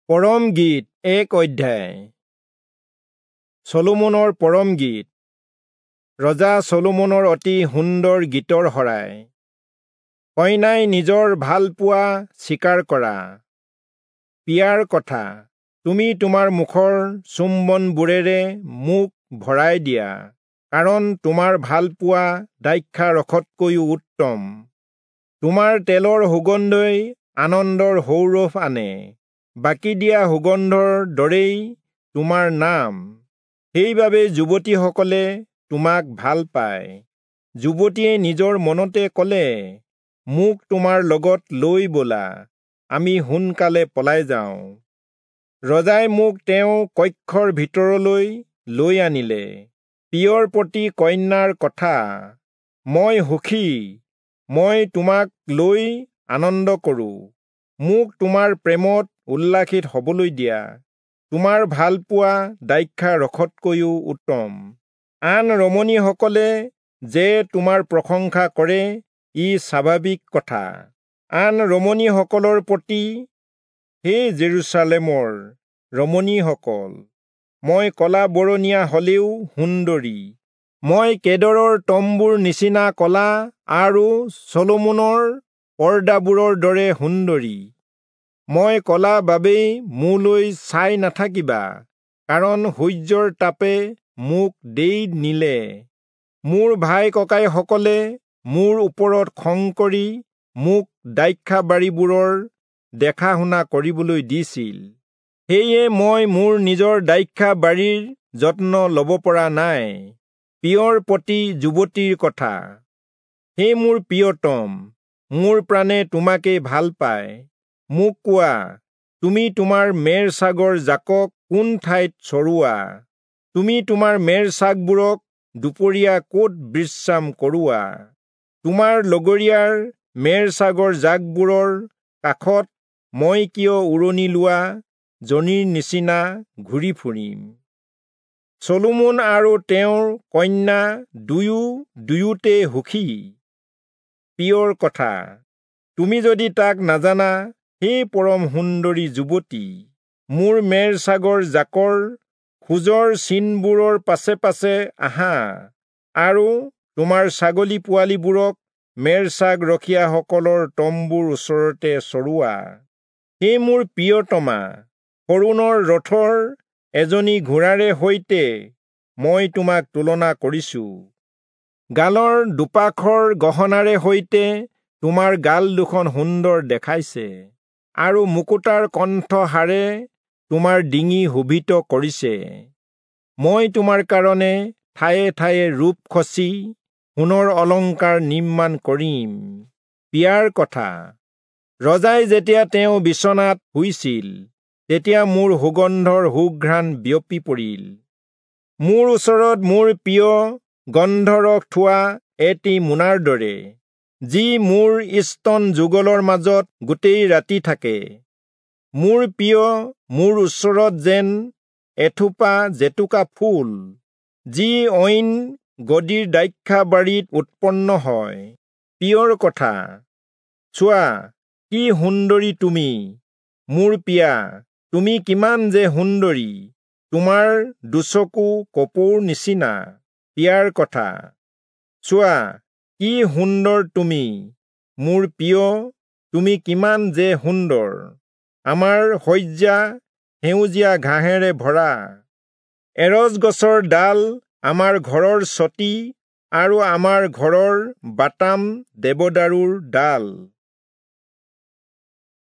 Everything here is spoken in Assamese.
পৰম গীত 1 অধ্যায়। চলোমনৰ পৰম গীত। ৰজা চলোমনৰ অতি সুন্দৰ গীতৰ শৰাই। কইনাই নিজৰ ভালপোৱা স্বীকাৰ কৰা। পিয়াৰ কথা, তুমি তোমাৰ মুখৰ চুম্বনবোৰেৰে মোক ভৰাই দিয়া, কাৰণ তোমাৰ ভালপোৱা দ্ৰাক্ষা ৰসতকৈও উত্তম। তোমাৰ তেলৰ সুগন্ধই আনন্দৰ সৌৰভ আনে, বাকি দিয়া সুগন্ধৰ দৰেই তোমাৰ নাম। সেইবাবে যুৱতীসকলে তোমাক ভাল পায়। যুৱতীয়ে নিজৰ মনতে ক'লে, মোক তোমাৰ লগত লৈ ব'লা, আমি সোনকালে পলাই যাওঁ। ৰজাই মোক তেওঁ কক্ষৰ ভিতৰলৈ লৈ আনিলে। প্ৰিয়ৰ প্ৰতি কন্যাৰ কথা। মই সুখী, মই তোমাক লৈ আনন্দ কৰোঁ। মোক তোমাৰ প্ৰেমত উল্লাসিত হ'বলৈ দিয়া। তোমাৰ ভালপোৱা দ্ৰাক্ষা ৰসতকৈও উত্তম। আন ৰমণীসকলে যে তোমাৰ প্ৰশংসা কৰে, ই স্বাভাৱিক কথা। আন ৰমণীসকলৰ প্ৰতি, হে জেৰুচালেমৰ ৰমণীসকল, মই কলা বৰণীয়া হ'লেও সুন্দৰী। মই কেদৰৰ তম্বুৰ নিচিনা কলা আৰু চলোমনৰ পৰ্দাবোৰৰ দৰে সুন্দৰী। মই কলা বাবেই মোলৈ চাই নাথাকিবা, কাৰণ সূৰ্যৰ তাপে মোক দেই নিলে। মোৰ ভাই ককাইসকলে মোৰ ওপৰত খং কৰি মোক দ্ৰাক্ষাবাৰীবোৰৰ দেখা শুনা কৰিবলৈ দিছিল। সেয়ে মই মোৰ নিজৰ দ্ৰাক্ষাবাৰীৰ যত্ন ল'ব পৰা নাই। প্ৰিয়ৰ প্ৰতি যুৱতীৰ কথা। হে মোৰ প্ৰিয়তম, মোৰ প্ৰাণে তোমাকেই ভাল পায়। মোক কোৱা, তুমি তোমাৰ মেৰ ছাগৰ জাকক কোন ঠাইত চৰোৱা? তুমি তোমাৰ মেৰ ছাগবোৰক দুপৰীয়া ক'ত বিশ্ৰাম কৰোৱা? তোমাৰ লগৰীয়াৰ মেৰ ছাগৰ জাকবোৰৰ কাষত মই কিয় উৰণি লোৱা জনীৰ নিচিনা ঘূৰি ফুৰিম? চলোমন আৰু তেওঁৰ কন্যা দুয়ো দুয়োতে সুখী। প্ৰিয়ৰ কথা। তুমি যদি তাক নাজানা, হে পৰম সুন্দৰী যুৱতী, মোৰ মেৰ ছাগৰ জাকৰ খোজৰ চিনবোৰৰ পাছে পাছে আহা, আৰু তোমাৰ ছাগলী পোৱালীবোৰক মেৰ ছাগ ৰখীয়াসকলৰ তম্বুৰ ওচৰতে চৰোৱা। হে মোৰ প্ৰিয়তমা, সৰোণৰ ৰথৰ এজনী ঘোঁৰাৰে সৈতে মই তোমাক তুলনা কৰিছো। গালৰ দুপাখৰ গহনাৰে সৈতে তোমাৰ গাল দুখন সুন্দৰ দেখাইছে, আৰু মুকুতাৰ কণ্ঠহাৰে তোমাৰ ডিঙি শোভিত কৰিছে। মই তোমাৰ কাৰণে ঠায়ে ঠায়ে ৰূপ খচি সোণৰ অলংকাৰ নিৰ্মাণ কৰিম। পিয়াৰ কথা। ৰজাই যেতিয়া তেওঁ বিচনাত শুইছিল, তেতিয়া মোৰ সুগন্ধৰ সুঘ্ৰাণ বিয়পি পৰিল। মোৰ ওচৰত মোৰ প্ৰিয় গন্ধৰস থোৱা এটি মোনাৰ দৰে, যি মোৰ স্তন যুগলৰ মাজত গোটেই ৰাতি থাকে। মোৰ প্ৰিয় মোৰ ওচৰত যেন এথোপা জেতুকা ফুল, যি অইন গদিৰ দ্ৰাক্ষাবাৰীত উৎপন্ন হয়। প্ৰিয়ৰ কথা। চোৱা, কি সুন্দৰী তুমি, মোৰ প্ৰিয়া, তুমি কিমান যে সুন্দৰী! তোমাৰ দুচকু কপৌৰ নিচিনা। প্ৰিয়াৰ কথা। চোৱা, কি সুন্দৰ তুমি, মোৰ প্ৰিয়, তুমি কিমান যে সুন্দৰ! আমাৰ শয্যা সেউজীয়া ঘাঁহেৰে ভৰা। এৰজ গছৰ ডাল আমাৰ ঘৰৰ চতি, আৰু আমাৰ ঘৰৰ বাটাম দেৱদাৰুৰ ডাল।